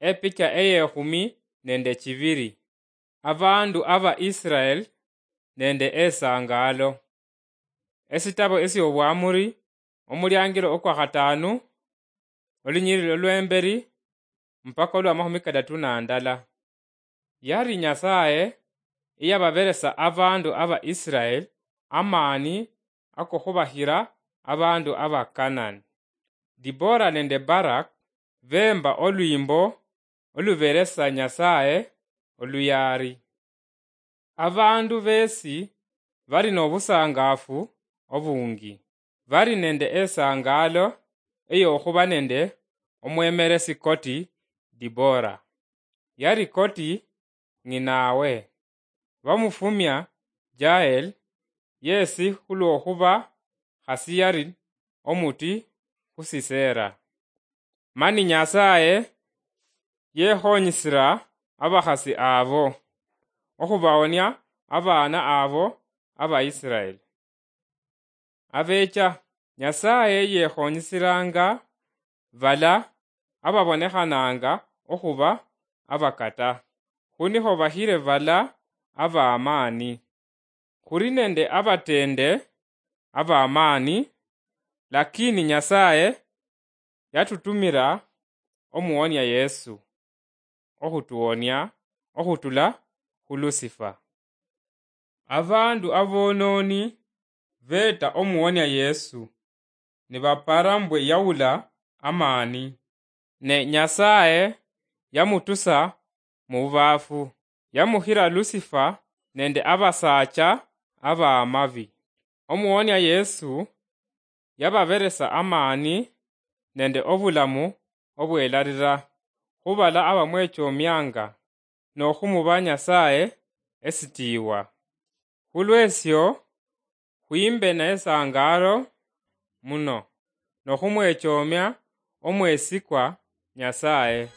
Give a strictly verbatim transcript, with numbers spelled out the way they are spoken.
Epicha eyekhumi nende chibiri. Abandu aba Israel nende esangaalo. Esitabo esyobwamuri, omuliangiro okwa khataanu, olunyiriri olwemberi mpaka olwa makhumi kadatu na ndala. Yari Nyasaye eyababeresa abandu aba Israel amaani akokhubahira abandu aba Kanani. Dibora nende Barak bemba olwimbo oluberesa Nyasaye oluyaari. Abandu besi bari nobusangafu obungi. Bari nende esangaalo eyokhuba nende omwemeresi koti Dibora. Yari koti ng'inawe. Bamufumia Jael, yesi khulwokhuba khasi yari omuti khu Sisera. Mani Nyasaye yekhonyisira abakhasi abo okhubaonia abaana abo Abaisraeli. Abecha, Nyasaye yekhonyisiranga bala ababonekhananga okhuba abakata, khunikho bahire bala abamaani. Khuli nende abatende abamaani, lakini Nyasaye yatutumira omuwonia Yesu okhutuwonia okhutula khu Lusifa. Abandu abonooni beeta omuwonia Yesu, nibapara mbwe yawula amaani. Ne Nyasaye yamutusa mu bubaafu, yamuhira Lusifa nende abasaacha abamabi. Omuwonia Yesu yababeresa amaani nende obulamu obwelarira khubala abamwechomianga nokhumuba Nyasaye esitiiwa. Khulwesio, khwimbe nesangaalo muno nokhumwechomia omwesikwa Nyasaye.